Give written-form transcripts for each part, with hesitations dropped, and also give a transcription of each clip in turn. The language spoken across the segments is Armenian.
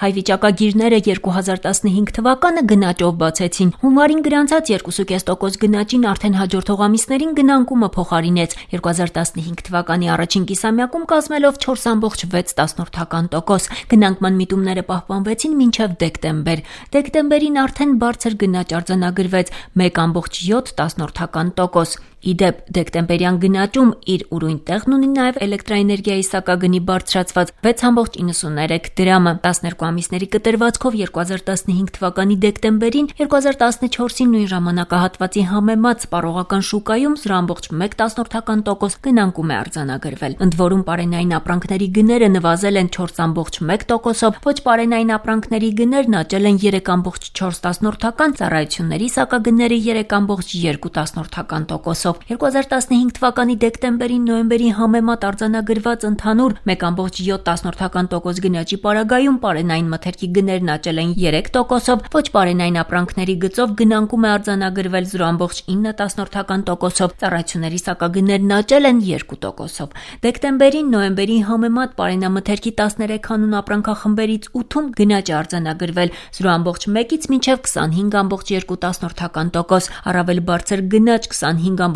Հայ վիճակագիրները 2015 թվականը գնաճով բացեցին։ Հունվարին գրանցած 2,5% գնաճին արդեն հաջորդող ամիսներին գնանկումը փոխարինեց 2015 թվականի առաջին կիսամյակում կազմելով 4,6%։ Գնանկման միտումները պահպանվեցին մինչև դեկտեմբեր։ Դեկտեմբերին արդեն բարձր գնաճ արձանագրվեց 1,7%։ Իդեպ դեկտեմբերյան գնաճում իր ուրույն տեղն ունի նաև էլեկտրաէներգիայի սակագնի բարձրացված 6,93 դրամը։ 12 ամիսների կտրվածքով 2015 թվականի դեկտեմբերին 2014-ի նույն ժամանակահատվածի համեմատ սպառողական շուկայում 0,1% գնանկում է արձանագրվել։ Ընդ որում պարենային ապրանքների գները նվազել են 4,1%-ով, ոչ պարենային ապրանքների գներն աճել են 3,4%, ծառայությունների սակագները 3,2%-ով։ 2015 թվականի դեկտեմբերին նոյեմբերի համեմատ արձանագրված ընդհանուր 1,7% գնաճի պարագայում պարենային մթերքի գներն աճել են 3%-ով, ոչ պարենային ապրանքների գծով գնանկում է արձանագրվել 0,9%-ով, ծառայությունների սակագներն աճել են 2%-ով։ Դեկտեմբերին նոյեմբերի համեմատ պարենամթերքի 13 անուն ապրանքախմբերից 8-ում գնաճ է արձանագրվել 0,1-ից մինչև 25,2%, առավել բարձր գնաճ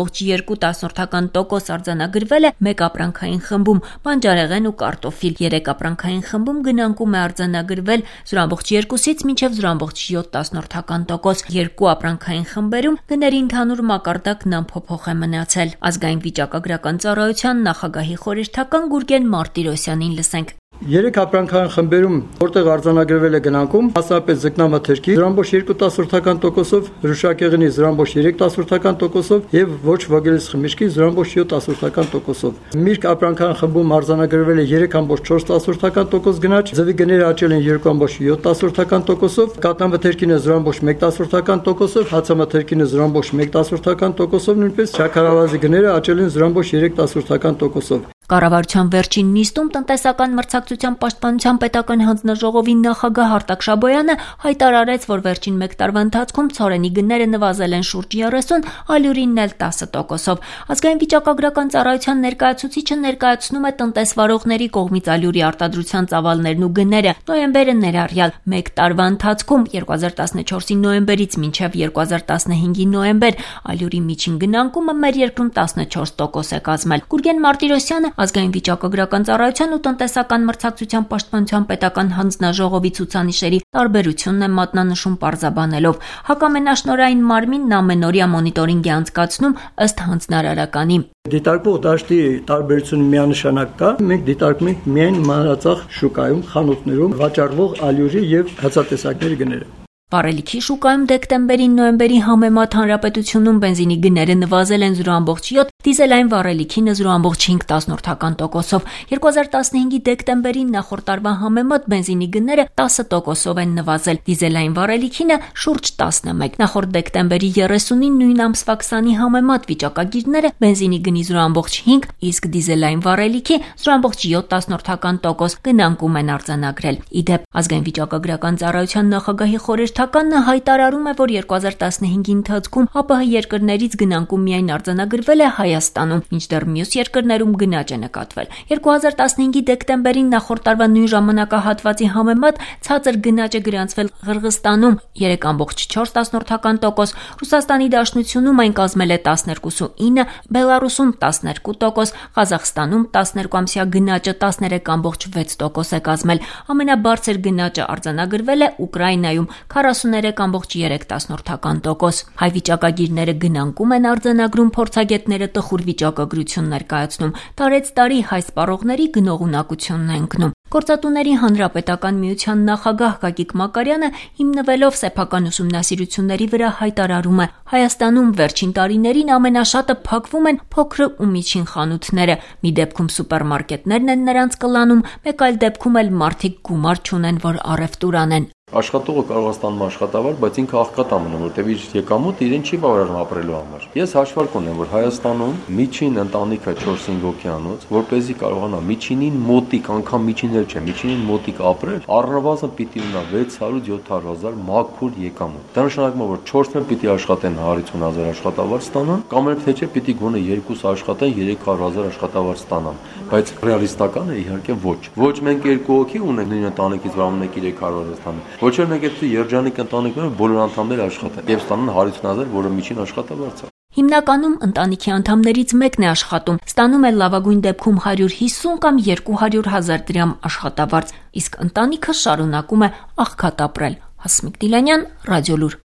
25,2% արձանագրվել է մեկ ապրանքային խմբում՝ բանջարեղեն ու կարտոֆիլ, 3 ապրանքային խմբում գնանկում է արձանագրվել 0,2-ից մինչև 0,7%, 2 ապրանքային խմբերում գների ընդհանուր մակարդակն անփոփոխ է մնացել։ Ազգային վիճակագրական ծառայության նախագահի խորհրդական Գուրգեն Մարտիրոսյանին լսենք։ 3 ապրանքային խմբերում, որտեղ արձանագրվել է գնանկում, մասնապես ձկնամթերքի 0,2%-ով, հրուշակեղենի 0,3%-ով եւ ոչ ոգելից խմիչքի 0,7%-ով։ Միրգ ապրանքային խմբում արձանագրվել է 3,4% գնաճ, ձվի գները աճել են 2,7%-ով, կաթնամթերքինը 0,1%-ով, հացամթերքինը 0,1%-ով, նույնպես շաքարավազի գները աճել են 0,3%-ով։ Կառավարության վերջին նիստում տնտեսական մրցակցության պաշտպանության պետական հանձնաժողովի նախագահ Արտակ Շաբոյանը հայտարարեց, որ վերջին մեկ տարվա ընթացքում ցորենի գները նվազել են շուրջ 30, ալյուրինն էլ 10%-ով։ Ազգային վիճակագրական ծառայության ներկայացուցիչը ներկայացնում է տնտեսվարողների կողմից ալյուրի արտադրության ծավալներն ու գները նոյեմբերը ներառյալ մեկ տարվա ընթացքում 2014-ի նոյեմբերից մինչև 2015-ի նոյեմբեր ալյուրի միջին գնանկումը մեր երկրում 14% է կազմել։ Գուրգեն Մարտիրոսյանը Ազգային վիճակագրական ծառայության ու տնտեսական մրցակցության պաշտպանության պետական հանձնաժողովի ցուցանիշերի տարբերությունն է մատնանշում պարզաբանելով. հակամենաշնորհային մարմինն ամենօրյա մոնիտորինգ է անցկացնում ըստ հանձնարարականի։ Դիտարկվող դաշտի տարբերությունը միանշանակ կա։ Մենք դիտարկում ենք միայն մանրածախ շուկայում, խանութներում վաճառվող ալյուրի եւ հացատեսակների գները։ Վառելիքի շուկայում դեկտեմբերին նոյեմբերի համեմատ հանրապետությունում բենզինի գները նվազել են 0,7, դիզելային վառելիքինը 0,5%-ով։ 2015-ի դեկտեմբերին նախորդ տարվա համեմատ բենզինի գները 10%-ով են նվազել, դիզելային վառելիքինը շուրջ 11։ Նախորդ դեկտեմբերի 30-ին նույն ամսվա 20-ի համեմատ վիճակագիրները բենզինի գնի 0,5, իսկ դիզելային վառելիքի 0,7% գնանկում են արձանագրել։ Իդեպ ազգային վիճակագրական ծառայության նախագահի խորհրդականն հայտարարում է, որ 2015-ի ընթացքում ԱՊՀ երկրներից գնանկում միայն արձանագրվել է Հայաստանում, մինչդեռ մյուս երկրներում գնաճ է նկատվել։ 2015-ի դեկտեմբերին նախորդ տարվա նույն ժամանակահատվածի համեմատ ցածր գնաճ է գրանցվել Ղրղստանում 3,4%, Ռուսաստանի Դաշնությունում այն կազմել է 12,9%, Բելարուսում 12%, Ղազախստանում 12-ամսյա գնաճը 13,6% է կազմել։ Ամենաբարձր գնաճը արձանագրվել է Ուկրաինայում 43,3%։ Հայ վիճակագիրները գնանկում են արձանագրում, փորձագետները տխուր վիճակագրություն ներկայացնում, տարեց տարի հայ սպառողների գնողունակությունն է ընկնում։ Գործատուների հանրապետական միության նախագահ Գագիկ Մակարյանը հիմնվելով սեփական ուսումնասիրությունների վրա հայտարարում է. Հայաստանում վերջին տարիներին ամենաշատը փակվում են փոքր ու միջին խանութները։ Մի դեպքում սուպերմարկետներն են նրանց կլանում, մեկ այլ դեպքում էլ մարդիկ գումար չունեն, որ առևտուր անեն։ Աշխատողը կարող է ստանում աշխատավարձ, բայց ինքը աղքատ է մնում, որտեղ իր եկամուտը իրեն չի բավարարում ապրելու համար։ Ես հաշվարկ ունեմ, որ Հայաստանում միջին ընտանիքը 4-5 հոգյանոց, որպեսզի կարողանա միջինին մոտիկ, անգամ միջինել չէ, միջինին մոտիկ ապրել, առնվազն պիտի ունենա 600-700 հազար մաքուր եկամուտ։ Դա նշանակում է, որ 4-ն պիտի աշխատեն 150 հազար աշխատավարձ ստանան, կամ էլ թե չէ պիտի գոնե 2 աշխատեն 300 հազար աշխատավարձ ստանան, բայց ռեալիստական է իհարկե ոչ։ Ոչ մենք 2 հոգի ունենք նույն ընտանիքից, որ ամեն 300 հազար ստանան։ Ոչ էլ մենք այդ երջանիկ ընտանիքներում բոլոր անդամները աշխատեն եւ ստանան 150 հազար, որը միջին աշխատավարձ է։ Հիմնականում ընտանիքի անդամներից մեկն է աշխատում, ստանում է լավագույն դեպքում 150 կամ 200 հազար դրամ աշխատավարձ, իսկ ընտանիքը շարունակում է աղքատ ապրել։ Հասմիկ Դիլանյան, Ռադիոլուր։